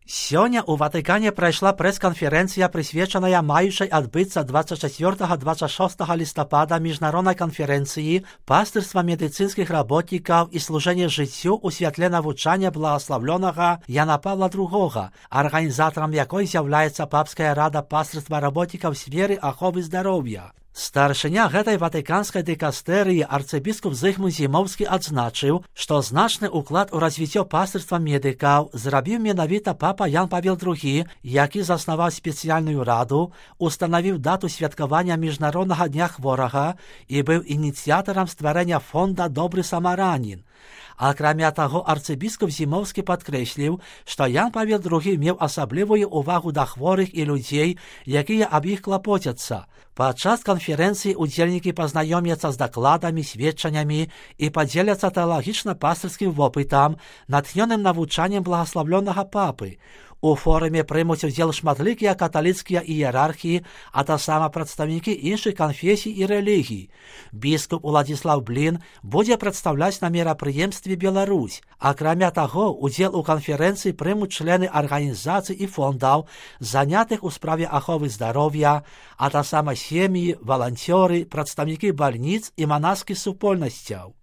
Сёння ў Ватыкане прайшла прэс-канферэнцыя, прысвечаная маючай адбыцца 24-26 лістапада міжнароднай канферэнцыі пастырства медыцынскіх работнікаў і служэння жыццю ў святле навучання благаславлёнага Яна Павла II, арганізатарам якой з'яўляецца Папская рада пастырства работнікаў сферы аховы здароўя. Старшыня гэтай ватыканскай дыкастэрыі арцыбіскуп Зыгмунд Зімоўскі адзначыў, што значны ўклад у развіццё пастырства медыкаў зрабіў менавіта папа Ян Павел II, які заснаваў спецыяльную раду, устанавіў дату святкавання міжнароднага дня хворага і быў ініцыятарам стварэння фонда «Добры самаранін». Акрамя таго, арцыбіскуп Зімоўскі падкрэсліў, што Ян Павел II меў асаблівую ўвагу да хворых і людзей, якія аб іх клапоцяцца. Падчас канферэнцыі удзельнікі пазнаёмяцца з дакладамі, сведчаннямі і падзеляцца тэалагічна-пастырскім вопытам, натхнёным навучаннем благаславлёнага папы. У форуме прымуць удзел шматлікія каталіцкія іерархі, а таксама прадстаўнікі іншых канфесій і рэлігій. Біскуп Уладзіслаў Блін будзе прадстаўляць на мерапрыемстве Беларусь. Акрамя таго, удзел у канферэнцыі прымуць члены арганізацый і фондаў, занятых у справе аховы здароўя, а таксама сем'і, валанцёры, прадстаўнікі бальніц і манаскіх супольнасцяў.